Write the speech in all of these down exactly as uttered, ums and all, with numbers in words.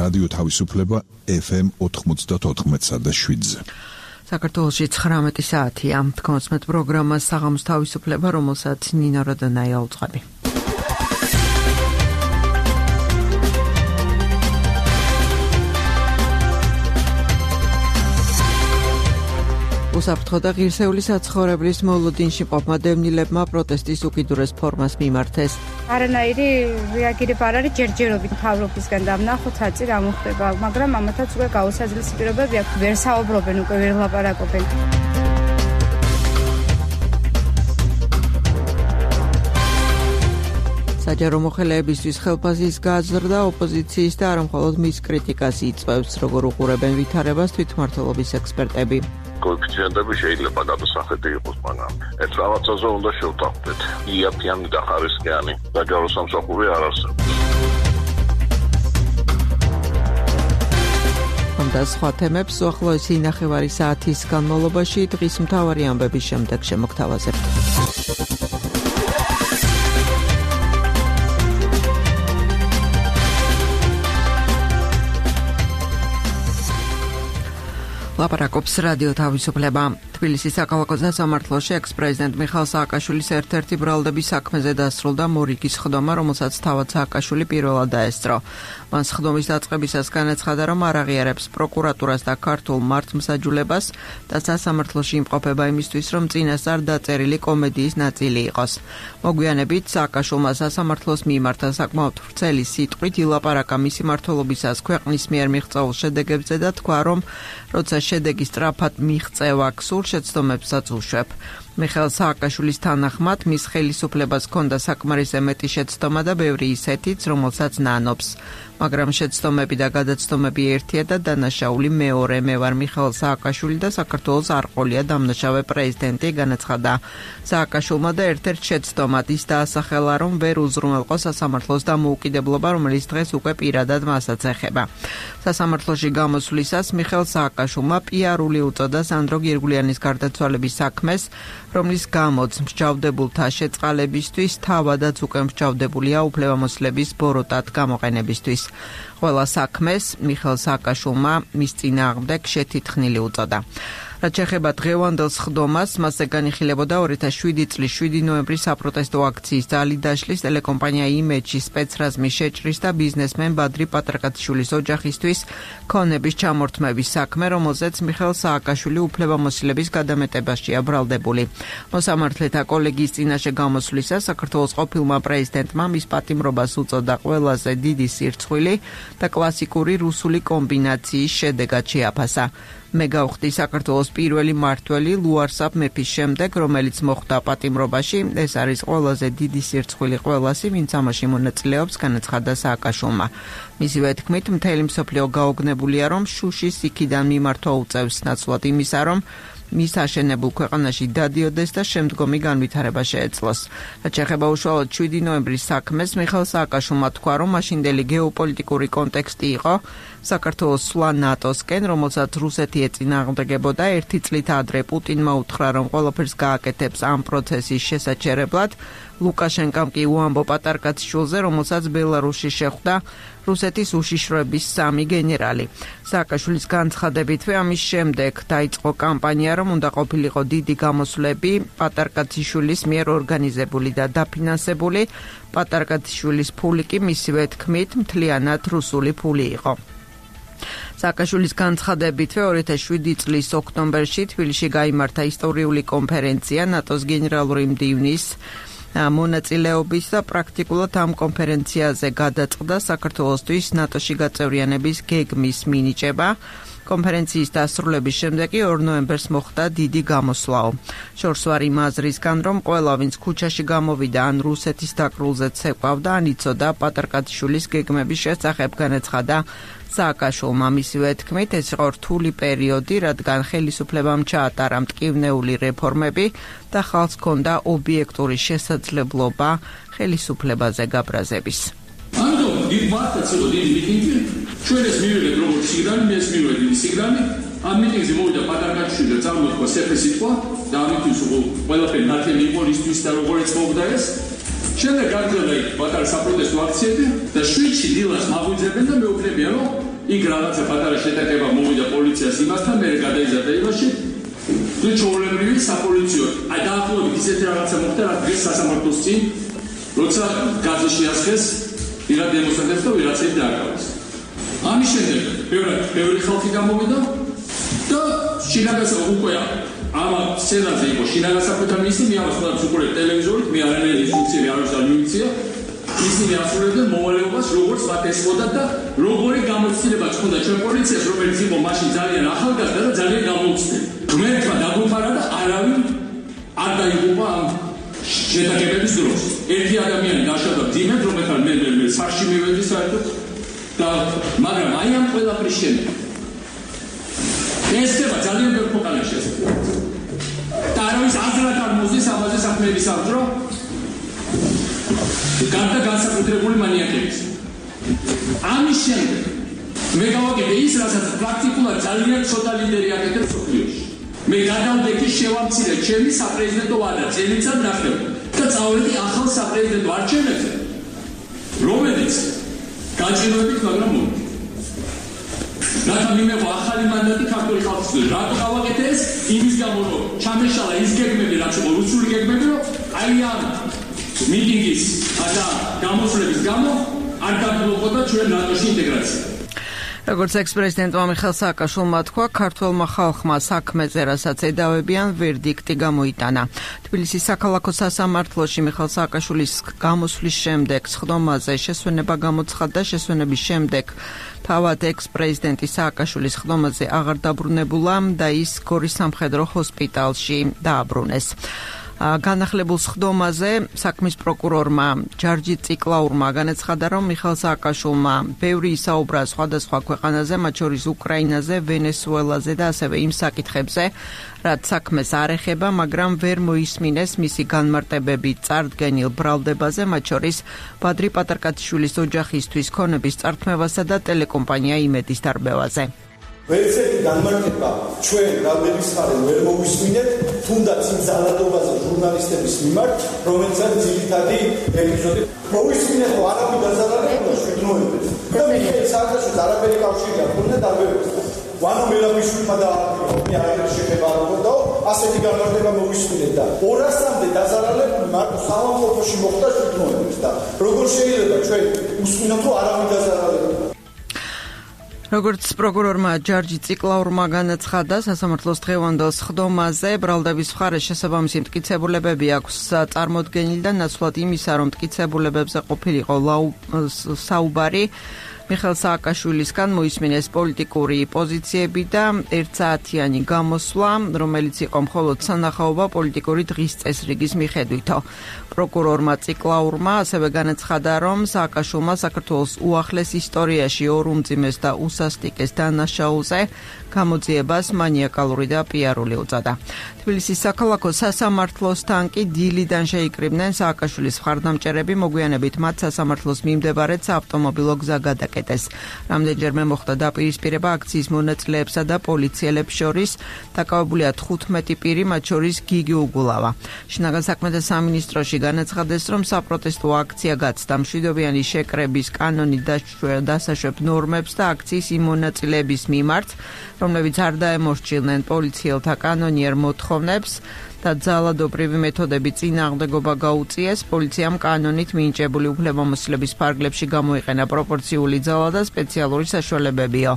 რადიო თავისუფლება ეფ ემ ოთხმოცდაოთხ და შვიდზე. საქართველოში ცხრამეტი საათია. თქონსმეთ პროგრამა საღამოს თავისუფლება, რომელსაც ნინო როდონაია უძღვები. უსაფრთხო და ღირსეული საცხოვრებლის მოლოდინში მყოფმა დევნილებმა პროტესტის უკიდურეს ფორმას მიმართეს. არანაირი რეაგირება არ არის ჯერჯერობით მთავრობისგან და ვნახოთ აწი რა მოხდება, მაგრამ ამათაც უკვე გაუსაძლისი პირობები აქვს, ვერ საუბრობენ, უკვე ვერ ლაპარაკობენ. საჯარო მოხელეებისთვის ხელფასის გაზრდა ოპოზიციის და არა მხოლოდ მის კრიტიკას იწვევს, როგორ უყურებენ ვითარებას თვითმმართველობის ექსპერტები. Коэффициентები შეიძლება გადასახედი იყოს, მაგრამ ეს რაღაცაზე უნდა შევთანხმდეთ. იაფიანი და ხარისხიანი საჯარო სამსახური არ არსებობს. ამ და სხვა თემებს უახლოესი ნახევარი საათის განმავლობაში დღის მთავარი ამბების შემდეგ შემოგთავაზებთ. ლაპარაკობს რადიო თავისუფლება. თბილისის საქალაქო სასამართლოში ექს-პრეზიდენტ მიხეილ სააკაშვილის ერთ-ერთი ბრალდების საქმეზე დასრულდა მორიგის სხდომა, რომელსაც თავად სააკაშვილი პირველად დაესწრო. მან სხდომის დაწყებისას განაცხადა, რომ არ აღიარებს პროკურატურას და ქართულ მართლმსაჯულებას და სასამართლოში იმყოფება იმისთვის, რომ წინასწარ დაწერილი კომედიის ნაწილი იყოს. მოგვიანებით სააკაშვილმა სასამართლოს მიმართა საკმაოდ ვრცელი სიტყვით ილაპარაკა მისი მმართველობისას ქვეყნის მიერ მიღწეულ შედეგებზე და თქვა, რომ როცა შედეგი სწრაფად მიღწევა გსურს, შეცდომებსაც უშვებ. მიხეილ სააკაშვილის თანახმად მის ხელისუფლებას ჰქონდა საკმარისზე მეტი შეცდომა და ბევრი ისეთიც, რომელსაც ნანობს. მაგრამ შეცდომები და გადაცდომები ერთია და დანაშაული მეორე. მე ვარ მიხეილ სააკაშვილი და საქართველოს არ ყოლია დამნაშავე პრეზიდენტი, განაცხადა სააკაშვილმა და ერთ-ერთ შეცდომად ის დაასახელა, რომ ვერ უზრუნველყო სასამართლოს დამოუკიდებლობა, რომელიც დღეს უკვე პირადად მასაც ეხება. სასამართლოში გამოსვლისას მიხეილ სააკაშვილმა პიარული უწოდა სანდრო გირგვლიანის გარდაცვალების საქმეს, რომლის გამოც მსჯავრდებულთა შეწყალებისთვის თავადაც უკვე მსჯავრდებულია უფლებამოსილების ბოროტად გამოყენებისთვის. ყველა საქმეს მიხეილ სააკაშვილმა მის წინააღმდეგ შეთითხნილი უწოდა. რაც შეეხება დღევანდელ სხდომას, მასზე განიხილებოდა ორი ათას შვიდი წლის შვიდი ნოემბრის საპროტესტო აქციის ძალი დაშლის ტელეკომპანია იმეჯი სპეცრაზმის შეჭრის და ბიზნესმენ ბადრი პატრაკათიშვილის ოჯახისთვის ქონების ჩამორთმევის საქმე, რომელზეც მიხეილ სააკაშვილი უფლებამოსილების გადამეტებაშია ბრალდებული. მოსამართლეთა კოლეგიის წინაშე გამოსვლისას საქართველოს ყოფილმა პრეზიდენტმა მის პატიმრობას უწოდა ყველაზე დიდი სირცხვილი და კლასიკური რუსული კომბინაციის შედეგად შეაფასა. მე გავხდი საქართველოს პირველი მმართველი ლუარსაბ მეფის შემდეგ, რომელიც მოხვდა პატიმრობაში. ეს არის ყველაზე დიდი სირცხვილი ყველასი, ვინც ამაში მონაწილეობს, განაცხადა სააკაშვილმა. მისივე თქმით, მთელი მსოფლიო გაოგნებულია, რომ შუშის იქიდან მიმართვა უწევს, ნაცვლად იმისა, რომ მის აშენებულ ქვეყანაში დადიოდეს და შემდგომი განვითარება შეეძლოს. რაც შეეხება უშუალოდ შვიდი ნოემბრის საქმეს, მიხეილ სააკაშვილმა თქვა, რომ მაშინდელი გეოპოლიტიკური კონტექსტი იყო საქართველოს სვლა ნატოსკენ, რომელსაც რუსეთი ეწინააღმდეგებოდა. ერთი წლით ადრე პუტინმა უთხრა, რომ ყველაფერს გააკეთებს ამ პროცესის შესაჩერებლად. ლუკაშენკამ კი უამბო პატარკაციშვილზე, რომელსაც ბელარუსში შეხვდა რუსეთის უშიშროების სამი გენერალი. სააკაშვილის განცხადებითვე ამის შემდეგ დაიწყო კამპანია, რომ უნდა ყოფილიყო დიდი გამოსვლები პატარკაციშვილის მიერ ორგანიზებული და დაფინანსებული. პატარკაციშვილის ფული კი მისივე თქმით მთლიანად რუსული ფული იყო. სააკაშვილის განცხადებითვე ორი ათას შვიდი წლის ოქტომბერში თბილისში გაიმართა ისტორიული კონფერენცია ნატოს გენერალური მდივნის მონაწილეობის და პრაქტიკულად ამ კონფერენციაზე გადაწყდა საქართველოსთვის ნატოში გაწევრიანების გეგმის მინიჭება. კონფერენციის დასრულების შემდეგ ორ ნოემბერს მოხდა დიდი გამოსვლაო. შორს ვარ იმ აზრისგან, რომ ყველა ვინც ქუჩაში გამოვიდა ან რუსეთის დაკრულზე ცეკვავდა, ან იცოდა პატარკათიშვილის გეგმების შესახებ, განაცხადა სააკაშვილმა. მისივე თქმით, ეს იყო რთული პერიოდი, რადგან ხელისუფლებამ ჩაატარა მტკივნეული რეფორმები და ხალხს ჰქონდა ობიექტური შესაძლებლობა ხელისუფლებაზე გაბრაზების. ამიტომ იქ მართაც იყო დიდი მიტინგი, ჩვენ ეს მივიღეთ როგორც სიგნალი, მე ეს მივიღეთ დიდი სიგნალი. ამ მიტინგზე მოვიდა პატარკათიშვილი და წარმოთქვა სეფე სიტყვა და ამისთვის ყველაფერი ნათელი იყო ისთვის და როგორც მოვდა ეს. შემდეგ გაგრძელდა იქ პატარა საპროტესტო აქციები და შვიდში დილას მაგვიძებენ და მეუბნებიან, რომ იქ რაღაცა პატარა შეტაკება მოვიდა პოლიციას იმასთან, მე გადაიზარდა ილაში. თუ ჩვეულებრივი საპოლიციო, აი დაახლოებით ისეთი რაღაცა მოხდა, რა დღეს სასამართლოს წინ, როცა გაზი შეასხეს ვიღა დემონსტრანტებს და ვიღაცები დააკავეს. ამის შემდეგ ბევრი ბევრი ხალხი გამოვიდა და შინაგასა უკვე ამა სცენაზე იყო შინაგასახვეთა მინისტრი, მე ამას ყველაფერს უყურებ ტელევიზორით, მე არანაირი ინსტრუქცია არ აქვს და მიუცია. ისინი ასრულებდნენ მოვალეობას, როგორც მათ ესწოდათ და როგორი გამოცდილებაც ჰქონდა ჩვენ პოლიციას, რომელიც იყო მაშინ ძალიან ახალგაზრდა და ძალიან გამოუცდელი. ღმერთმა დაგუფარა და არავინ არ დაიღუპა ამ შეტაკებების დროს. ერთი ადამიანი დაშავდა მძიმედ, რომელთან მე მე სახში მივედი საერთოდ და მაგრამ აი ამ ყველაფრის შემდეგ ეს ხდება ძალიან ბევრ ქვეყანაში ეს. და არავის აზრად არ მოძის ამაზე საქმეების აღძრო გარდა განსაკუთრებული მანიაკების. ამის შემდეგ მე გავაკეთე ის, რასაც პრაქტიკულად ძალიან ცოტა ლიდერი აკეთებს სოფლიოში. მე გადავდექი შევამცირე ჩემი საპრეზიდენტო ვადა წელიწად ნახევარი და წავედი ახალ საპრეზიდენტო არჩევნებზე, რომელიც გაჭირვებით, მაგრამ მოვიდა. რათა მიმეღო ახალი მანდატი ქართული ხალხისთვის. რატო გავაკეთე ეს? იმის გამო, რომ ჩამეშალა ის გეგმები, რაც იყო რუსული გეგმები, რომ აი ამ მიტინგის და გამოსვლების გამო არ გაბლოკოდა ჩვენ ნატოში ინტეგრაცია. როგორც ექს-პრეზიდენტმა მიხეილ სააკაშვილმა თქვა, ქართველმა ხალხმა საქმეზე, რასაც ედავებიან, ვერდიქტი გამოიტანა. თბილისის საქალაქო სასამართლოში მიხეილ სააკაშვილის გამოსვლის შემდეგ სხდომაზე შესვენება გამოცხადდა. შესვენების შემდეგ თავად ექს-პრეზიდენტი სააკაშვილის სხდომაზე აღარ დაბრუნებულა და ის გორის სამხედრო ჰოსპიტალში დააბრუნეს. განახლებულ სხდომაზე საქმის პროკურორმა ჯარჯი ციკლაურმა განაცხადა, რომ მიხეილ სააკაშვილმა ბევრი ისაუბრა სხვადასხვა ქვეყანაზე, მათ შორის უკრაინაზე, ვენესუელაზე და ასევე იმ საკითხებზე, რაც საქმეს არ ეხება, მაგრამ ვერ მოისმინეს მისი განმარტებები წარდგენილ ბრალდებაზე, მათ შორის ბადრი პატარკაციშვილის ოჯახისთვის ქონების წართმევასა და ტელეკომპანია იმედის დარბევაზე. ვერცერთი განმარტება ჩვენ ბრალდების მხარეს ვერ მოვისმინეთ, თუნდაც იმ ძალადობაზე ჟურნალისტების მიმართ, რომელსაც ძირითადი ეპიზოდი მოვისმინეთ, რომ არაფერი დაზარალებული შვიდნოებდეს. და მიხეილ სააკაშვილს არაფერი კავშირი არ ჰქონდა დარბევასთან. ვანო მელაბიშვილმა დაარქვია, მე არაფერი შეხება არ მქონდაო, ასეთი განმარტება მოვისმინეთ და ორასამდე დაზარალებული მარტო საავადმყოფოში მოხდა შვიდნოებდეს და როგორ შეიძლება ჩვენ უსმინოთ, რომ არაფერი დაზარალებული. როგორც პროკურორმა ჯარჯი ციკლაურმა განაცხადა, სასამართლოს დღევანდელ სხდომაზე ბრალდების მხარეს შესაბამისი მტკიცებულებები აქვს წარმოდგენილი და ნაცვლად იმისა, რომ მტკიცებულებებზე ყოფილიყო საუბარი მიხეილ სააკაშვილისგან მოისმინეს პოლიტიკური პოზიციები და ერთსაათიანი გამოსვლა, რომელიც იყო მხოლოდ სანახაობა პოლიტიკური დღის წესრიგის მიხედვითო. პროკურორმა ციკლაურმა ასევე განაცხადა, რომ სააკაშვილმა საქართველოს უახლეს ისტორიაში ორ უმძიმეს და უსასტიკეს დანაშაულზე გამოძიებას მანიაკალური და პიარული უწოდა. თბილისის საქალაქო სასამართლოსთან კი დილიდან შეიკრიბნენ სააკაშვილის მხარდამჭერები, მოგვიანებით მათ სასამართლოს მიმდებარედ საავტომობილო გზა გადაკეტეს. რამდენჯერმე მოხდა დაპირისპირება აქციის მონაწილეებსა და პოლიციელებს შორის, დაკავებულია თხუთმეტი პირი, მათ შორის გიგი უგულავა. შინაგან საქმეთა სამინისტროში განაცხადეს, რომ საპროტესტო აქცია გაცდა მშვიდობიანი შეკრების კანონი დასაშვებ ნორმებს და აქციის იმ მონაწილეების მიმართ, რომლებიც არ დაემორჩილნენ პოლიციელთა კანონიერ მოთხოვნებს და ძალადობრივი მეთოდები წინააღმდეგობა გაუწიეს, პოლიციამ კანონით მინიჭებული უფლებამოსილების ფარგლებში გამოიყენა პროპორციული ძალა და სპეციალური საშუალებებიო.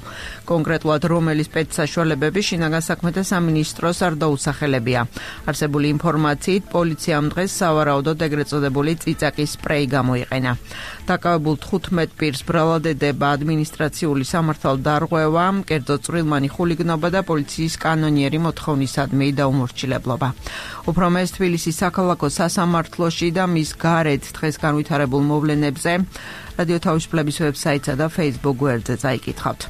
კონკრეტულად რომელი სპეცსაშუალებები შინაგან საქმეთა სამინისტროს არ დაუსახელებია. არსებული ინფორმაციით, პოლიციამ დღეს სავარაუდოდ ეგრეთ წოდებული წიწაკის სპრეი გამოიყენა. დაკავებულ თხუთმეტ პირს ბრალად ედება ადმინისტრაციული სამართალდარღვევა, კერძო წვრილმანი ხულიგნობა და პოლიციის კანონიერი მოთხოვნისადმი დაუმორჩილებლობა. უფრო მეტ თბილისის საქალაქო სასამართლოში და მის გარეთ დღეს განვითარებულ მოვლენებზე რადიო თავისუფლების ვებსაიტსა და Facebook გვერდზე წაიკითხავთ.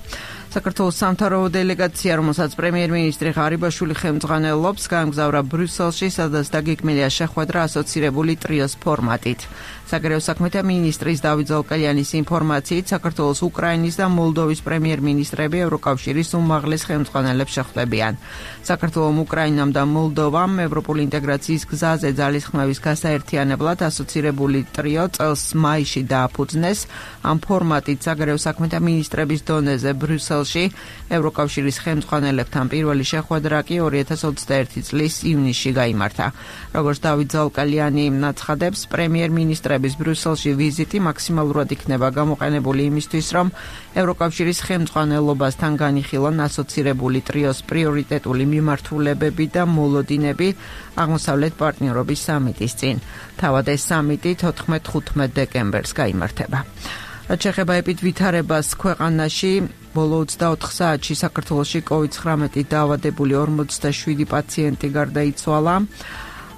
საქართველოს სამთავრობო დელეგაცია, რომელსაც პრემიერ-მინისტრი ღარიბაშვილი ხელმძღვანელობს, გაემგზავრა ბრიუსელში, სადაც დაგეგმილია შეხვედრა ასოცირებული ტრიოს ფორმატით. საგარეო საქმეთა მინისტრის დავით ზოლკალიანის ინფორმაციით, საქართველოს, უკრაინის და მოლდოვის პრემიერ-მინისტრები ევროკავშირის უმაღლეს ხელმძღვანელებს შეხვდებიან. საქართველოს, უკრაინამ და მოლდოვამ ევროპული ინტეგრაციის გზაზე ძალისხმევის გასაერთიანებლად ასოცირებული ტრიო წელს მაისში დააფუძნეს. ამ ფორმატით საგარეო საქმეთა მინისტრების დონეზე ბრიუსელში ევროკავშირის ხელმძღვანელებთან პირველი შეხვედრა კი ორი ათას ოცდაერთი წლის ივნისში გაიმართა. როგორც დავით ზოლკალიანი აცხადებს, პრემიერ-მინისტრების ბრიუსელში ვიზიტი მაქსიმალურად იქნება გამოყენებული იმისთვის, რომ ევროკავშირის ხელმძღვანელობასთან განიხილონ ასოცირებული ტრიოს პრიორიტეტული მიმართულებები და მოლოდინები აღმოსავლეთ პარტნიორობის სამიტის წინ. თავად ეს სამიტი თოთხმეტ ხუთმეტ დეკემბერს გაიმართება. რაც შეეხება ეპიდვითარებას ქვეყანაში, ბოლო ოცდაოთხ საათში საქართველოში კოვიდ ცხრამეტი დაავადებული ორმოცდაშვიდი პაციენტი გარდაიცვალა.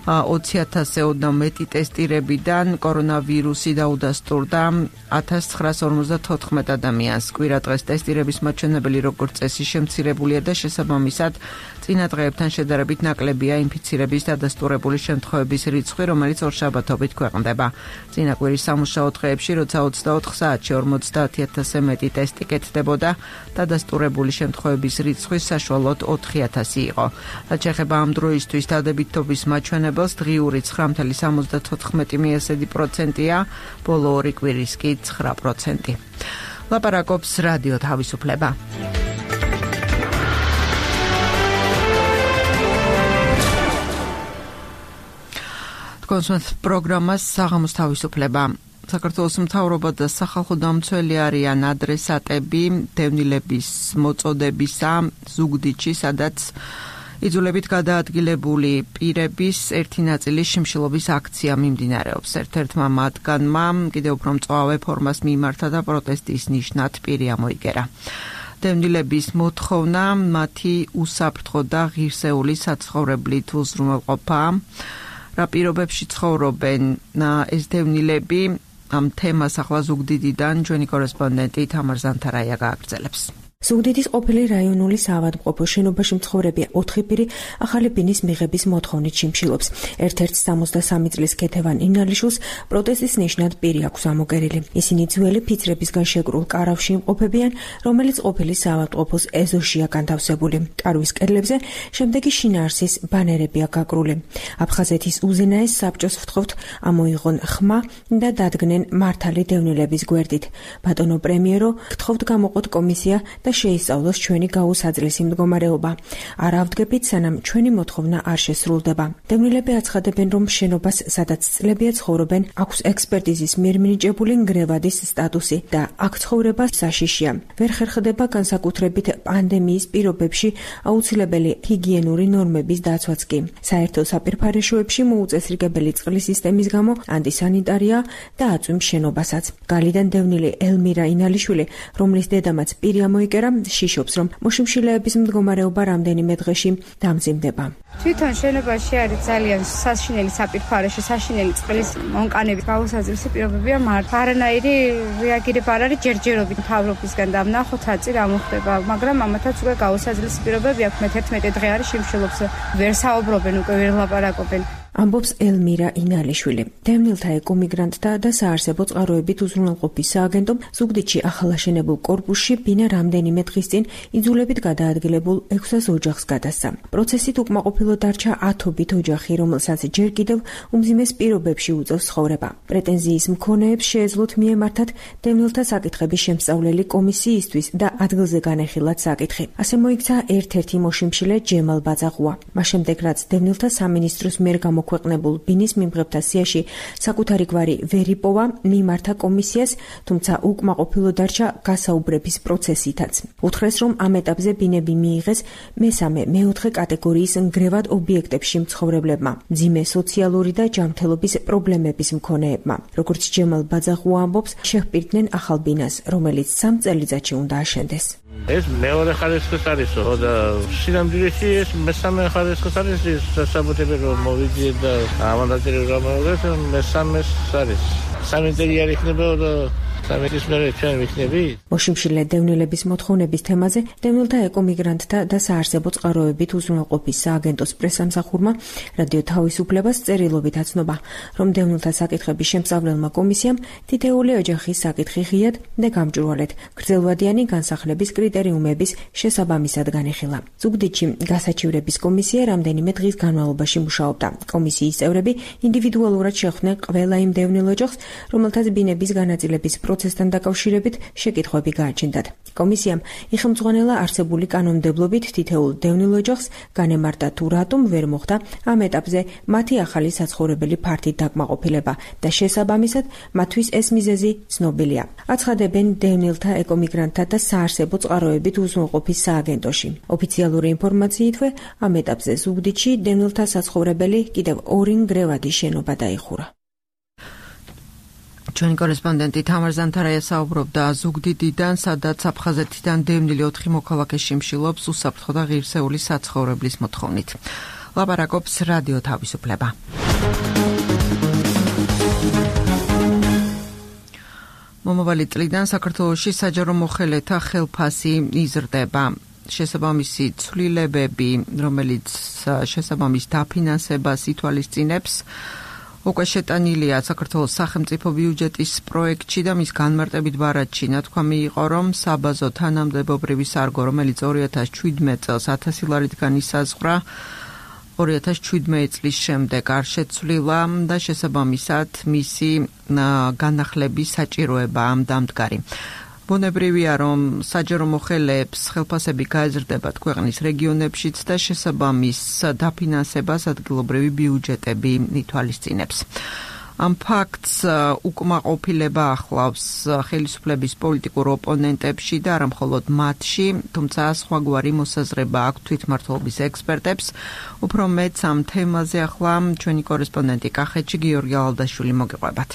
ოცი ათასზე ოდნავ მეტი ტესტირებიდან კორონავირუსი დაუდასტურდა ათას ცხრაას ორმოცდათოთხმეტ ადამიანს. კვირა დღეს ტესტირების მაჩვენებელი როგორც წესი შემცირებულია და შესაბამისად წინა დღეებთან შედარებით ნაკლებია ინფიცირების დადასტურებული შემთხვევების რიცხვი, რომელიც ორშაბათობით ქვეყნდება. წინა კვირის სამუშაო დღეებში, როცა ოცდაოთხ საათში ორმოცდაათი ათასზე მეტი ტესტი კეთდებოდა, დადასტურებული შემთხვევების რიცხვი საშუალოდ ოთხი ათასი იყო. რაც შეეხება ამ დროისთვის დადებითობის მაჩვენებელს, დღიური ცხრა virgulă სამოცდათოთხმეტი პროცენტია, ბოლო ორი კვირის კი ცხრა პროცენტი. ლაპარაკობს რადიო თავისუფლება. კონსულტ პროგრამას საღამოს თავისუფლება. საქართველოს მთავრობა და სახალხო დამცველი არიან ადრესატები დევნილების მოწოდებისა ზუგდიდში, სადაც იძულებით გადაადგილებული პირების ერთი ნაწილის შიმშილობის აქცია მიმდინარეობს. ერთ-ერთმა მათგანმა კიდევ უფრო მწვავე ფორმას მიმართა და პროტესტის ნიშნად პირი ამოიგერა. დევნილების მოთხოვნა მათი უსაფრთხო და ღირსეული საცხოვრებლით უზრუნველყოფაა. რა პირობებში ცხოვრობენ ეს დევნილები? ამ თემას ახლა ზუგდიდიდან ჩვენი კორესპონდენტი თამარ ზანთარაია გააგრძელებს. ზუგდიდის ყოფილი რაიონული საავადმყოფო შენობაში მცხოვრები ოთხი პირი ახალი ბინის მიღების მოთხოვნით შიმშილობს. ერთ-ერთ სამოცდასამი წლის ქეთევან ინალიშვილს პროტესტის ნიშნად პირი აქვს ამოგერილი. ისინი ძველი ფიცრებისგან შეკრულ კარავში იმყოფებიან, რომელიც ყოფილი საავადმყოფოს ეზოშია განთავსებული. კარვის კედლებზე შემდეგი შინაარსის ბანერებია გაკრული. აფხაზეთის უზენაეს საბჭოს ვთხოვთ ამოიღონ ხმა და დადგნენ მართალი დევნილების გვერდით. ბატონო პრემიერო, გთხოვთ გამოყოთ კომისია და შეისწავლოს ჩვენი გაუსაძლისი მდგომარეობა. არ ავდგებით, სანამ ჩვენი მოთხოვნა არ შესრულდება. დევნილები აცხადებენ, რომ შენობას, სადაც წლებია ცხოვრობენ, აქვს ექსპერტიზის მიერ მინიჭებული ნგრევადის სტატუსი და აქ ცხოვრება საშიშია. ვერ ხერხდება განსაკუთრებით პანდემიის პირობებში აუცილებელი ჰიგიენური ნორმების დაცვაც კი. საერთო საპირფარეშოებში მოუწესრიგებელი წყლის სისტემის გამო ანტისანიტარია და აწვიმს შენობასაც. გალიდან დევნილი ელმირა ინალიშვილი, რომლის დედამაც პირი ამოიგერა, შიშობს, რომ მოშიმშილეების მდგომარეობა რამდენიმე დღეში დამძიმდება. თვითონ შენობაში არის ძალიან საშინელი საპირფარეშო, საშინელი წყლის მონკანების გაუსაძლისი პირობებია, მაგრამ არანაირი რეაგირება არ არის ჯერჯერობით მთავრობისგან და ვნახოთ რა წინ რა მოხდება, მაგრამ ამათაც უკვე გაუსაძლისი პირობები აქვს. მე თერთმეტი დღე არის შიმშილობს, ვერ საუბრობენ, უკვე ვერ ლაპარაკობენ. ამბობს ელმირა ინალიშვილი. დევნილთა ეკომიგრანტთა და საარსებო წყაროებით უზრუნველყოფის სააგენტომ ზუგდიდში ახალაშენებულ კორპუსში ბინა რამდენიმე დღის წინ იძულებით გადაადგილებულ ექვსას ოჯახს გადასცა. პროცესით უკმაყოფილო დარჩა ათობით ოჯახი, რომელსაც ჯერ კიდევ უმძიმეს პირობებში უწევს ცხოვრება. პრეტენზიის მქონეებს შეეძლოთ მიემართათ დევნილთა საკითხების შემსწავლელი კომისიისთვის და ადგილზე განეხილათ საკითხი. ასე მოიქცა ერთ-ერთი მოშიმშილე ჯემალ ბაძაღუა. მას შემდეგ, რაც დევნილთა სამინისტროს მიერ გამოქვეყნებულ ბინის მიმღებთა სიაში საკუთარი გვარი ვერ იპოვა, მიმართა კომისიას, თუმცა უკმაყოფილო დარჩა გასაუბრების პროცესითაც. უთხრეს, რომ ამ ეტაპზე ბინები მიიღეს მესამე, მეოთხე კატეგორიის ნგრევად ობიექტებში მცხოვრებლებმა, მძიმე სოციალური და ჯანმრთელობის პრობლემების მქონეებმა. როგორც ჯემალ ბაძაღუა ამბობს, შეჰპირდნენ ახალ ბინას, რომელიც სამ წელიწადში უნდა აშენდეს. ეს მეორე ხარისხის არისო და სინამდვილეში ეს მესამე ხარისხის არის საბუთები რომ მოვიძიე და ამანდატები რომ მოვიძიე მესამეს არის სამი წელი არ იქნება და სამეთის მერე ჩვენ ვიქნებით. მოშიმშილე დევნილების მოთხოვნების თემაზე დევნილთა ეკომიგრანტთა და საარსებო წყაროებით უზრუნველყოფის სააგენტოს პრესამსახურმა რადიო თავისუფლებას წერილობით აცნობა, რომ დევნილთა საკითხების შემსწავლელმა კომისიამ თითეული ოჯახის საკითხი ღიად და გამჭვირვალედ გრძელვადიანი განსახლების კრიტერიუმების შესაბამისად განიხილა. ზუგდიდში გასაჩივრების კომისია რამდენიმე დღის განმავლობაში მუშაობდა. კომისიის წევრები ინდივიდუალურად შეხვდნენ ყველა იმ დევნილ ოჯახს, რომელთაც ბინების განაწილების პროცესთან დაკავშირებით შეკითხვები გააჩნდათ. კომისიამ იხელმძღვანელა არსებული კანონმდებლობით თითოეულ დევნილ ოჯახს განემართა თუ რატომ ვერ მოხდა ამ ეტაპზე მათი ახალი საცხოვრებელი ფართით დაკმაყოფილება და შესაბამისად მათთვის ეს მიზეზი ცნობილია. აცხადებენ დევნილთა ეკომიგრანტთა და საარსებო წყაროებით უზრუნველყოფის სააგენტოში. ოფიციალური ინფორმაციითვე ამ ეტაპზე ზუგდიდში დევნილთა საცხოვრებელი კიდევ ორი ნგრევადი შენობა დაიხურა. ჩვენი კორესპონდენტი თამარ ზანთარაია საუბრობდა ზუგდიდიდან, სადაც აფხაზეთიდან დევნილი ოთხი მოქალაქე შიმშილობს უსაფრთხო და ღირსეული საცხოვრებლის მოთხოვნით. ლაპარაკობს რადიო თავისუფლება. მომავალი წლიდან საქართველოში საჯარო მოხელეთა ხელფასი იზრდება. შესაბამისი ცვლილებები, რომელიც შესაბამის დაფინანსებას ითვალისწინებს, უკვე შეტანილია საქართველოს სახელმწიფო ბიუჯეტის პროექტში და მის განმარტებით ბარათში ნათქვამი იყო, რომ საბაზო თანამდებობრივი სარგო, რომელიც ორი ათას შვიდმეტ წელს ათასი ლარიდან ისაზღვრა, ორი ათას შვიდმეტ წლის შემდეგ არ შეცვლილა და შესაბამისად მისი განახლების საჭიროებაა დამდგარი. ბუნებრივია, რომ საჯარო მოხელეებს ხელფასები გაეზრდებათ ქვეყნის რეგიონებშიც და შესაბამის დაფინანსებას ადგილობრივი ბიუჯეტები ითვალისწინებს. ამ ფაქტს უკმაყოფილება ახლავს ხელისუფლების პოლიტიკურ ოპონენტებში და არა მხოლოდ მათში, თუმცა სხვაგვარი მოსაზრება აქვს თვითმმართველობის ექსპერტებს. უფრო მეც ამ თემაზე ახლა ჩვენი კორესპონდენტი კახეთში გიორგი ალდაშვილი მოგიყვებათ.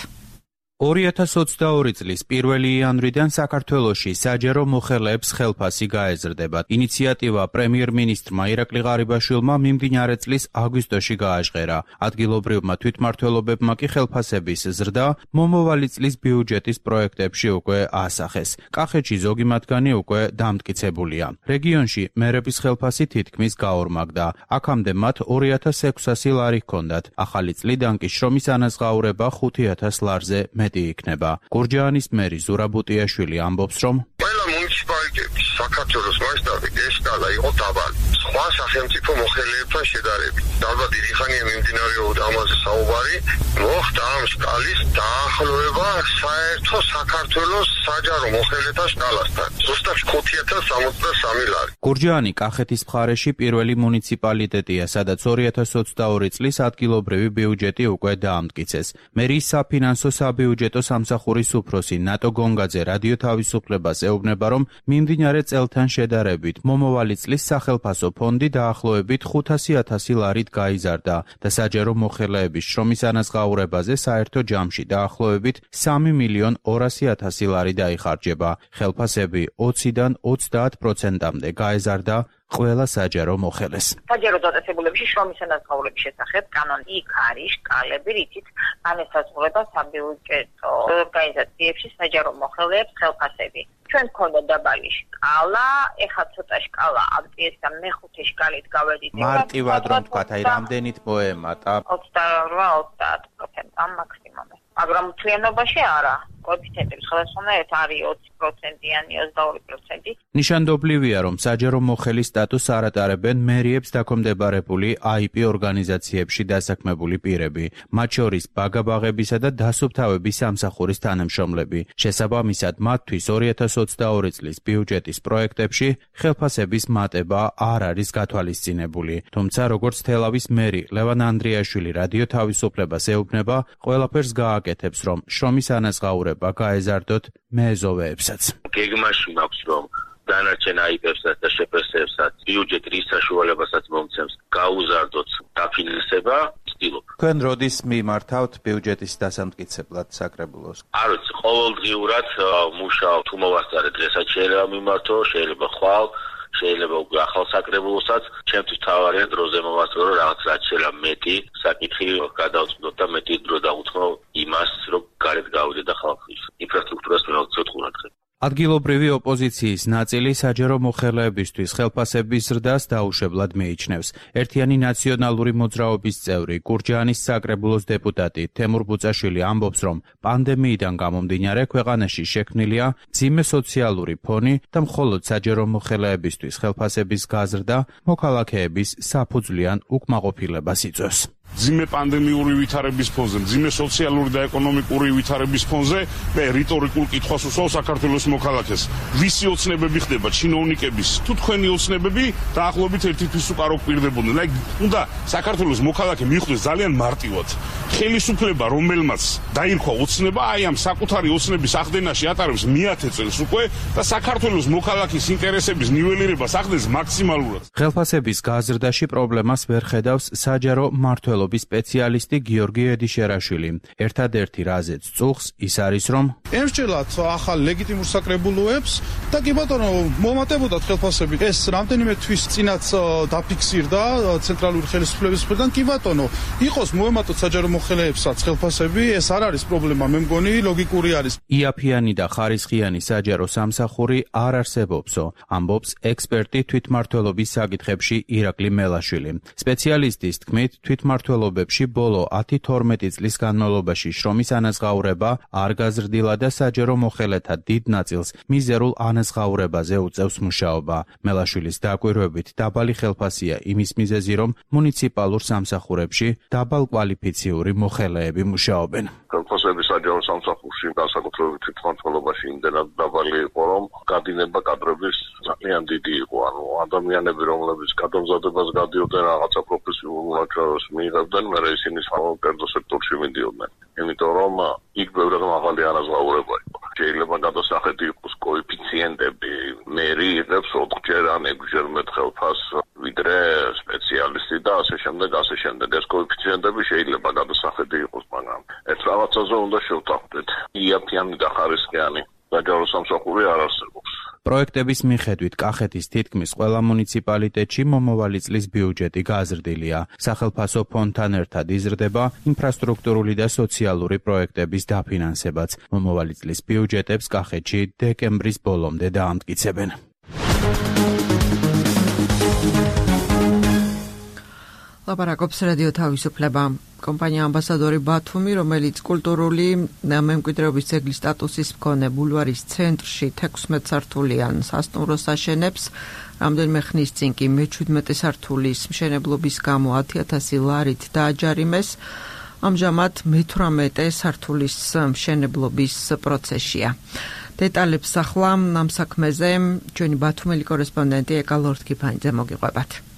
ორი ათას ოცდაორი წლის პირველი იანვრიდან საქართველოში საჯარო მოხელეებს ხელფასი გაეზრდება. ინიციატივა პრემიერ-მინისტრმა ირაკლი ღარიბაშვილმა მიმდინარე წლის აგვისტოში გააჟღერა. ადგილობრივმა თვითმმართველობებმა კი ხელფასების ზრდა მომავალი წლის ბიუჯეტის პროექტებში უკვე აასახეს. კახეთში ზოგი მათგანი უკვე დამტკიცებულია. რეგიონში მერების ხელფასი თითქმის გაორმაგდა. აქამდე მათ ორი ათას ექვსასი ლარი ჰქონდათ. ახალი წლიდან კი შრომის ანაზღაურება ხუთი ათას ლარზე იქნება. გურჯაანის მერი ზურაბ ბუტიაშვილი ამბობს, რომ ყველა მუნიციპალიტეტის საქართველოს მასშტაბით ეს სკალა იყო დაბალი. სხვა სახელმწიფო მოხელეებთან შედარებით. ალბათ დიდი ხანია მიმდინარეობდა ამაზე საუბარი, მოხდა ამ სკალის დაახლოება საერთო საქართველოს საჯარო მოხელეთა სკალასთან. ზუსტად ხუთი ათას სამოცდასამი ლარი. გურჯაანი კახეთის მხარეში პირველი მუნიციპალიტეტია, სადაც ორი ათას ოცდაორი წლის ადგილობრივი ბიუჯეტი უკვე დაამტკიცეს. მერის საფინანსო საბიუჯეტო სამსახურის უფროსი ნატო გონგაძე რადიო თავისუფლებას ეუბნება, რომ მიმდინარე წელთან შედარებით მომავალი წლის სახელფასო ფონდი დაახლოებით ხუთასი ათასი ლარით გაიზარდა და საჯარო მოხელეების შრომის ანაზღაურებაზე საერთო ჯამში დაახლოებით სამი მილიონ ორასი ათასი ლარი დაიხარჯება. ხელფასები ოციდან ოცდაათ პროცენტამდე გაეზარდა ყველა საჯარო მოხელეს. საჯარო დაწესებულებებში შრომის ანაზღაურების შესახებ კანონი იქ არის შკალები, რითიც განესაზღვრება საბიუჯეტო ორგანიზაციებში საჯარო მოხელეებს ხელფასები. ჩვენ გქონდა დაბალი შკალა, ეხლა ცოტა შკალა აბტიესა მეხუთე შკალით გავედით. მარტივად რომ თქვათ, აი რამდენით მოემატა? ოცდაორ ოცდაათ პროცენტი ამ მაქსიმუმი. მაგრამ მთლიანობაში არა. კოეფიციენტები სხვადასხვანაირად არის ოცი პროცენტიანი, ოცდაორი პროცენტი. ნიშანდობლივია, რომ საჯარო მოხელის სტატუსს არ ატარებენ მერიებს დაქვემდებარებული აი პი ორგანიზაციებში დასაქმებული პირები, მათ შორის ბაგაბაღებისა და დასუფთავების სამსახურის თანამშრომლები. შესაბამისად, მათთვის ორი ათას ოცდაორი წლის ბიუჯეტის პროექტებში ხელფასების მატება არ არის გათვალისწინებული. თუმცა, როგორც თელავის მერი ლევან ანდრიაშვილი რადიო თავისუფლებას ეუბნება, ყველაფერს გააკეთებს, რომ შრომის ანაზღაურება გაეზარდოთ მეზოვეებსაც. გეგმაში მაქვს, რომ დანარჩენ აი პებსაც და შეფასებსაც ბიუჯეტი რის საშუალებასაც მომცემს გაუზარდოთ დაფინანსება. თქვენ როდის მიმართავთ ბიუჯეტის დასამტკიცებლად საკრებულოს? არ ვიცი, ყოველდღიურად მუშაობ, თუ მოვასწარე დღესაც შეიძლება მიმართო, შეიძლება ხვალ, შეიძლება უკვე ახალ საკრებულოსაც. ჩემთვის თავარია დროზე მოვასწრო, რომ რაღაც რაც შეიძლება მეტი საკითხი გადავწყვეტო და მეტი დრო დავუთმო იმას, რომ გარეთ გავიდე და ხალხის ინფრასტრუქტურას მივაღწევ. ადგილობრივი ოპოზიციის ნაწილი საჯარო მოხელეებისთვის ხელფასების ზრდას დაუშვებლად მიიჩნევს. ერთიანი ნაციონალური მოძრაობის წევრი, გურჯაანის საკრებულოს დეპუტატი თემურ ბუწაშვილი ამბობს, რომ პანდემიიდან გამომდინარე ქვეყანაში შექმნილია მძიმე სოციალური ფონი და მხოლოდ საჯარო მოხელეებისთვის ხელფასების გაზრდა მოქალაქეების საფუძვლიან უკმაყოფილებას იწვევს. მძიმე პანდემიური ვითარების ფონზე, მძიმე სოციალური და ეკონომიკური ვითარების ფონზე მე რიტორიკულ კითხვას უსვავ საქართველოს მოქალაქეს. ვისი ოცნებები ხდება ჩინოვნიკების თუ თქვენი ოცნებები დაახლოებით ერთი თვის უკარო გვპირდებოდნენ. აი უნდა საქართველოს მოქალაქე მიხვდეს ძალიან მარტივად. ხელისუფლება, რომელმაც დაირქვა ოცნება, აი ამ საკუთარი ოცნების ახდენაში ატარებს მეათე წელს უკვე და საქართველოს მოქალაქის ინტერესების ნიველირებას ახდენს მაქსიმალურად. ხელფასების გაზრდაში პრობლემას ვერ ხედავს საჯარო მმართველ სპეციალისტი გიორგი ედიშერაშვილი. ერთადერთი რაზეც წუხს ის არის, რომ ემსჯელათ ახალ ლეგიტიმურ საკრებულოებს და კი ბატონო მომატებოდათ ხელფასები. ეს რამდენიმე თვის წინაც დაფიქსირდა ცენტრალური ხელისუფლების მხრიდან. კი ბატონო, იყოს მოემატოთ საჯარო მოხელეებსაც ხელფასები, ეს არ არის პრობლემა, მე მგონი ლოგიკური არის. იაფიანი და ხარისხიანი საჯარო სამსახური არ არსებობსო, ამბობს ექსპერტი თვითმმართველობის საკითხებში ირაკლი მელაშვილი. სპეციალისტის თქმით, თვითმმართველ ობებში ბოლო ათი თორმეტი წლის განმავლობაში შრომის ანაზღაურება არ გაზრდილა და საჯარო მოხელეთა დიდ ნაწილს მიზერულ ანაზღაურებაზე უწევს მუშაობა. მელაშვილის დაკვირვებით დაბალი ხელფასია იმის მიზეზი, რომ მუნიციპალურ სამსახურებში დაბალკვალიფიციური მოხელეები მუშაობენ. ხელფასები საჯარო სამსახურში განსაკუთრებით თვითმმართველობაში იმდენად დაბალი იყო, რომ გადინება კადრების ძალიან დიდი იყო. ანუ ადამიანები, რომლებიც გადამზადებას გადიოდნენ რაღაცა პროფესიულ მონაცემებს მიიღებდნენ, მერე ისინი საკერძო სექტორში მიდიოდნენ. იმიტომ რომ იქ ბევრად მაღალი ანაზღაურება იყო. შეიძლება გადასახედი იყოს კოეფიციენტები, მერი იღებს ოთხჯერ ან ექვსჯერ მეტ ხელფასს ვიდრე სპეციალისტი და ასე შემდეგ, ასე შემდეგ. ეს კოეფიციენტები შეიძლება გადასახედი იყოს, მაგრამ ერთ რაღაცაზე უნდა შევთანხმდეთ. იაფიანი და ხარისხიანი საჯარო სამსახური არ არსებობს. პროექტების მიხედვით კახეთის თითქმის ყველა მუნიციპალიტეტში მომავალი წლის ბიუჯეტი გაზრდილია. სახელფასო ფონდთან ერთად იზრდება ინფრასტრუქტურული და სოციალური პროექტების დაფინანსებაც. მომავალი წლის ბიუჯეტებს კახეთში დეკემბრის ბოლომდე დაამტკიცებენ. ლაპარაკობს რადიო თავისუფლება. კომპანია ამბასადორი ბათუმი, რომელიც კულტურული მემკვიდრეობის ძეგლის სტატუსის მქონე ბულვარის ცენტრში თექვსმეტ სართულიან სასტუმროს აშენებს, რამდენიმე ხნის წინ კი მეჩვიდმეტე სართულის მშენებლობის გამო ათი ათასი ლარით დააჯარიმეს. ამჟამად მეთვრამეტე სართულის მშენებლობის პროცესია. დეტალებს ახლა ამ საქმეზე ჩვენი ბათუმელი კორესპონდენტი ეკა ლორთქიფანიძე მოგიყვებათ.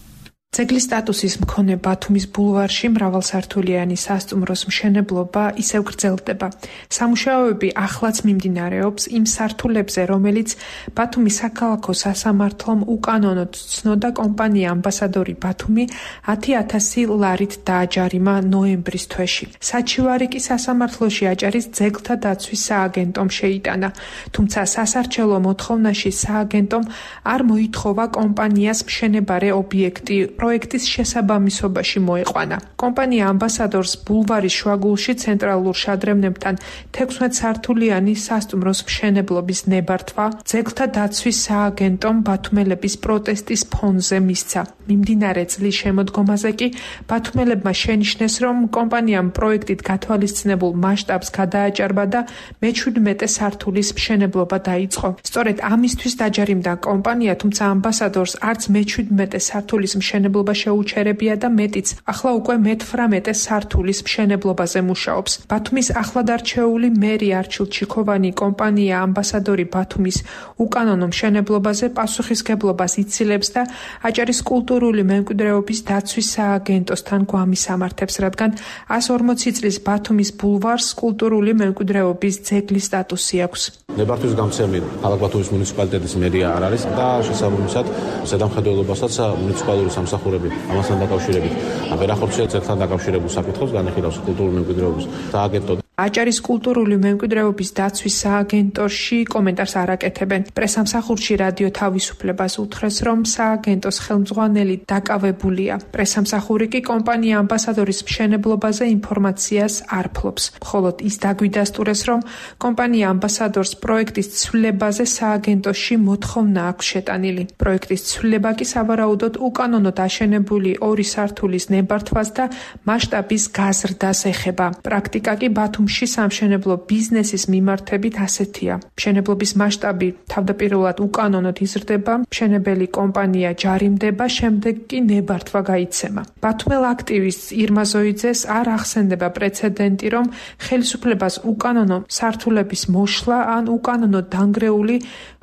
ძეგლის სტატუსის მქონე ბათუმის ბულვარში მრავალსართულიანი სასტუმროს მშენებლობა ისევ გრძელდება. სამუშაოები ახლაც მიმდინარეობს იმ სართულებზე, რომელიც ბათუმის საქალაქო სასამართლომ უკანონოდ ცნოდა კომპანია ამბასადორი ბათუმი ათი ათასი ლარით დააჯარიმა ნოემბრის თვეში. საჩივარი კი სასამართლოში აჭარის ძეგლთა დაცვის სააგენტომ შეიტანა, თუმცა სასარჩელო მოთხოვნაში სააგენტომ არ მოითხოვა კომპანიას მშენებარე ობიექტი პროექტის შესაბამისობაში მოეყვანა. კომპანია ამბასადორს ბულვარის შუაგულში ცენტრალურ შადრევნებთან თექვსმეტ სართულიანი სასტუმროს მშენებლობის ნებართვა ძეგლთა დაცვის სააგენტომ ბათუმელების პროტესტის ფონზე მისცა. მიმდინარე წლის შემოდგომაზე კი ბათუმელებმა შენიშნეს, რომ კომპანიამ პროექტით გათვალისწინებულ მასშტაბს გადააჭარბა და მეჩვიდმეტე სართულის მშენებლობა დაიწყო. სწორედ ამისთვის დაჯარიმდა კომპანია, თუმცა ამბასადორს არც მეჩვიდმეტე სართულის მშენებლობა შეუჩერებია და მეტიც, ახლა უკვე მეთვრამეტე სართულის მშენებლობაზე მუშაობს. ბათუმის ახლადარჩეული მერი არჩილ ჩიქოვანი კომპანია ამბასადორი ბათუმის უკანონო მშენებლობაზე პასუხისგებლობას იცილებს და აჭარის კულტურული მემკვიდრეობის დაცვის სააგენტოსთან გვამის ამართებს, რადგან ას ორმოცი წლის ბათუმის ბულვარს კულტურული მემკვიდრეობის ძეგლის სტატუსი აქვს. ნებართვის გამცემი ქალაქ ბათუმის მუნიციპალიტეტის მერია არ არის და შესაბამისად ზედამხედველობასაც მუნიციპალური სამსახურები ამასთან დაკავშირებით ვერ ახორციელებს ძეგლთან დაკავშირებულ საკითხებს, განიხილავს კულტურული მემკვიდრეობის სააგენტო. აჭარის კულტურული მემკვიდრეობის დაცვის სააგენტოში კომენტარს არ აკეთებენ. პრესამსახურში რადიო თავისუფლებას უთხრეს, რომ სააგენტოს ხელმძღვანელი დაკავებულია. პრესამსახური კი კომპანია ამბასადორის მშენებლობაზე ინფორმაციას არ ფლობს. მხოლოდ ის დაგვიდასტურეს, რომ კომპანია ამბასადორს პროექტის ცვლილებაზე სააგენტოში მოთხოვნა აქვს შეტანილი. პროექტის ცვლილება კი სავარაუდოდ უკანონოდ აშენებული ორი სართულის ნებართვას და მასშტაბის გაზრდას ეხება. პრაქტიკა კი ბათუმში სამშენებლო ბიზნესის მიმართებით ასეთია. მშენებლობის მასშტაბი თავდაპირველად უკანონოდ იზრდება, მშენებელი კომპანია ჯარიმდება, შემდეგ კი ნებართვა გაიცემა. ბათუმელ აქტივისტს ირმა ზოიძეს არ ახსენდება პრეცედენტი, რომ ხელისუფლებას უკანონო სართულების მოშლა ან უკანონო დანგრეული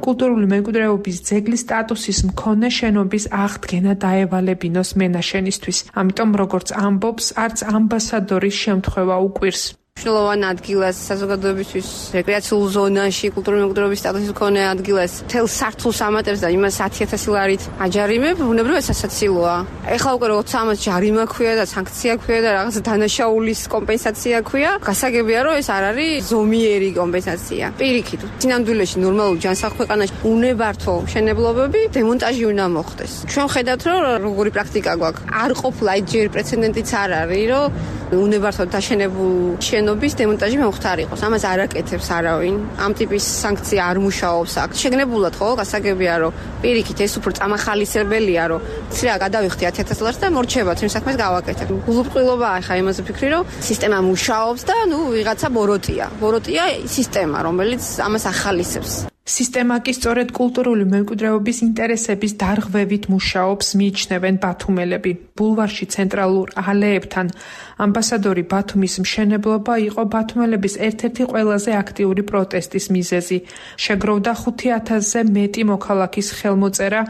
კულტურული მემკვიდრეობის ძეგლის სტატუსის მქონე შენობის აღდგენა დაევალებინოს მენაშენისთვის. ამიტომ, როგორც ამბობს, არც ამბასადორის შემთხვევა უკვირს. მნიშვნელოვან ადგილას საზოგადოებისთვის რეკრეაციულ ზონაში კულტურული მემკვიდრეობის სტატუსის მქონე ადგილას თელ სართულს ამატებს და იმას ათი ათასი ლარით აჯარიმებ, ბუნებრივად სასაცილოა. ეხლა უკვე როცა ამას ჯარიმა ქვია და სანქცია ქვია და რაღაც დანაშაულის კომპენსაცია ქვია, გასაგებია რომ ეს არ არის ზომიერი კომპენსაცია. პირიქით, სინამდვილეში ნორმალურ ჯანსაღ ქვეყანაში უნებართვო მშენებლობები დემონტაჟი უნდა მოხდეს. ჩვენ ხედავთ რომ როგორი პრაქტიკა გვაქვს. არ ყოფილა ჯერ პრეცედენტიც არ არის, რომ უნებართვოდ დაშენებულ შენობის დემონტაჟი მოხდარიყოს. ამას არ აკეთებს არავინ. ამ ტიპის სანქცია არ მუშაობს აქ. შეგნებულად ხო, გასაგებია რომ პირიქით ეს უფრო წამახალისებელია, რომ ცრა გადავიხდი ათი ათას ლარს და მორჩება თემ საქმეს გავაკეთებ. გულუბრყვილობაა ხა იმაზე ფიქრი, რომ სისტემა მუშაობს და ნუ ვიღაცა ბოროტია. ბოროტია სისტემა, რომელიც ამას ახალისებს. სისტემა კი სწორედ კულტურული მემკვიდრეობის ინტერესების დარღვევით მუშაობს, მიიჩნევენ ბათუმელები. ბულვარში ცენტრალურ ალეებთან ამბასადორი ბათუმის მშენებლობა იყო ბათუმელების ერთ-ერთი ყველაზე აქტიური პროტესტის მიზეზი. შეგროვდა ხუთი ათასზე მეტი მოქალაქის ხელმოწერა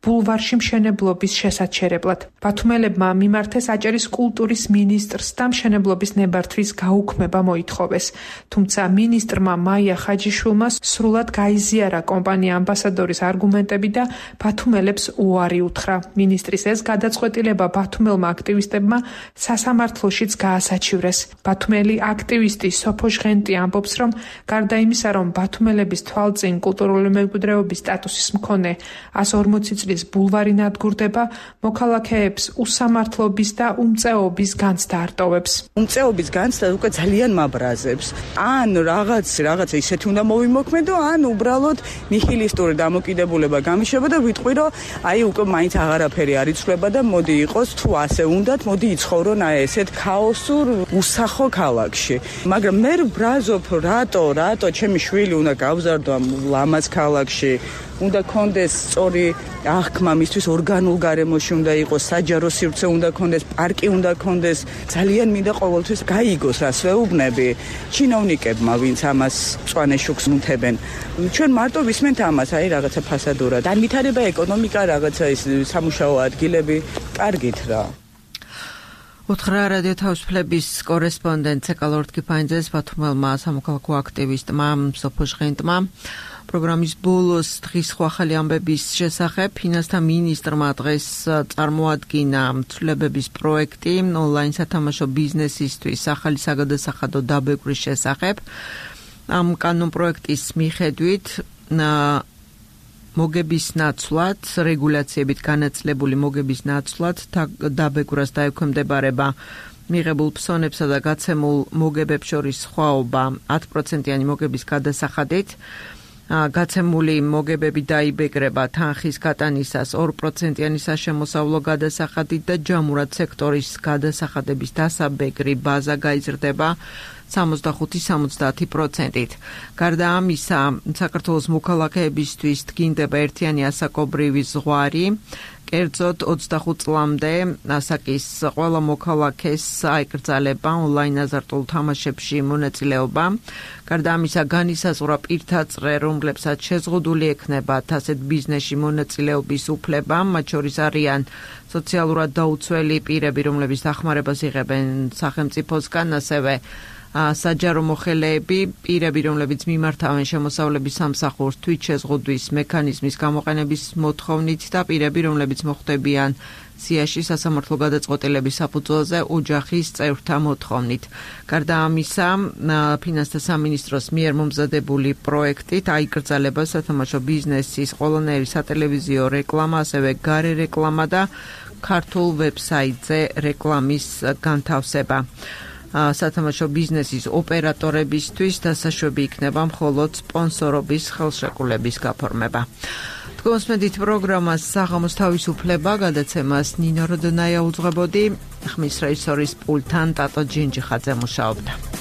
ბულვარში მშენებლობის შესაჩერებლად. ბათუმელებმა მიმართეს აჭარის კულტურის მინისტრს და მშენებლობის ნებართვის გაუქმება მოითხოვეს. თუმცა მინისტრმა მაია ხაჯიშვილმა სრულად გაიზიარა კომპანია ამბასადორის არგუმენტები და ბათუმელებს უარი უთხრა. მინისტრის ეს გადაწყვეტილება ბათუმელმა აქტივისტებმა სასამართლოშიც გაასაჩივრეს. ბათუმელი აქტივისტი სოფო ჟღენტი ამბობს, რომ გარდა იმისა, რომ ბათუმელების თვალწინ კულტურული მემკვიდრეობის სტატუსის მქონე ას ორმოცი წლის ბულვარი ნადგურდება, მოქალაქეებს უსამართლობის და უმწეობის განცდა არტოვებს. უმწეობის განცდა უკვე ძალიან მაბრაზებს. ან რაღაც რაღაც ისეთი უნდა მოვიმოქმედო, ან უბრალოდ ნიჰილისტური დამოკიდებულება გამიშება და ვიტყვი, რომ აი უკვე მაინც აღარაფერი არ იცვლება და მოდი იყოს თუ ასე უნდათ, მოდი იცხოვრონ აი ესეთ ქაოსურ უსახო ქალაქში. მაგრამ მე ვბრაზობ, რატო, რატო ჩემი შვილი უნდა გავზარდო ამ ლამაზ ქალაქში? უნდა კონდეს სწორი აღქმა მისთვის ორგანულ გარემოში უნდა იყოს, საჯარო სივრცე უნდა კონდეს, პარკი უნდა კონდეს. ძალიან მინდა ყოველთვის გაიგოს რას ვეუბნები ჩინოვნიკებმა, ვინც ამას მწვანე შუქს მუთებენ. ჩვენ მარტო ვისმენთ ამას, აი რაღაცა ფასადურად. განვითარება ეკონომიკა, რაღაცა ის სამუშაო ადგილები, კარგით რა. უთხრა რადიო თავისუფლების კორესპონდენტ ცეკალორდ კიფაინძეს ბათუმელმა სამოქალაქო აქტივისტმა სოფო ჟღენტმა. პროგრამის ბოლოს დღის ახალი ამბების შესახებ ფინანსთა მინისტრმა დღეს წარმოადგინა ცვლილებების პროექტი ონლაინ სათამაშო ბიზნესისთვის ახალი საგადასახადო დაბეკვრის შესახებ. ამ კანონ პროექტის მიხედვით მოგების ნაცვლად, რეგულაციებით განაწილებული მოგების ნაცვლად დაბეკვრას დაექვემდებარება მიღებულ ფსონებსა და გაცემულ მოგებებს შორის სხვაობა ათი პროცენტიანი მოგების გადასახადით. გაცემული მოგებები დაიბეკრება თანხის გატანისას ორი პროცენტიანი საშემოსავლო გადასახადით და ჯამურად სექტორის გადასახადების დასაბეკრი ბაზა გაიზრდება სამოცდახუთი სამოცდაათი პროცენტით. გარდა ამისა, საქართველოს მოქალაქეებისთვის დგინდება ერთიანი ასაკობრივი ზღვარი. კერძოდ ოცდახუთ წლამდე ასაკის ყველა მოქალაქეს აიკრძალება ონლაინ აზარტულ თამაშებში მონაწილეობა. გარდა ამისა, განისაზღვრა პირთა წრე, რომლებსაც შეზღუდული ექნებათ ასეთ ბიზნესში მონაწილეობის უფლება, მათ შორის არიან სოციალურად დაუცველი პირები, რომლებიც დახმარებას იღებენ სახელმწიფოსგან, ასევე საჯარო მოხელეები, პირები, რომლებიც მიმართავენ შემოსავლების სამსახურს თვით შეზღუდვის მექანიზმის გამოყენების მოთხოვნით და პირები, რომლებიც მოხვდებიან სიაში სასამართლო გადაწყვეტილების საფუძველზე ოჯახის წევრთა მოთხოვნით. გარდა ამისა, ფინანსთა სამინისტროს მიერ მომზადებული პროექტით აიკრძალება სათამაშო ბიზნესის ყველანაირი სატელევიზიო რეკლამა, ასევე გარე რეკლამა და ქართულ ვებსაიტზე რეკლამის განთავსება. სათამაშო ბიზნესის ოპერატორებისთვის დასაშვები იქნება მხოლოდ სპონსორობის ხელშეკრულების გაფორმება. გოსმედით პროგრამას საღამოს თავისუფლება გადაცემას ნინო როდონაია უძღვებოდი, ხმის რეჟისორის პულტთან ტატო ჯინჯიხაძე მუშაობდა.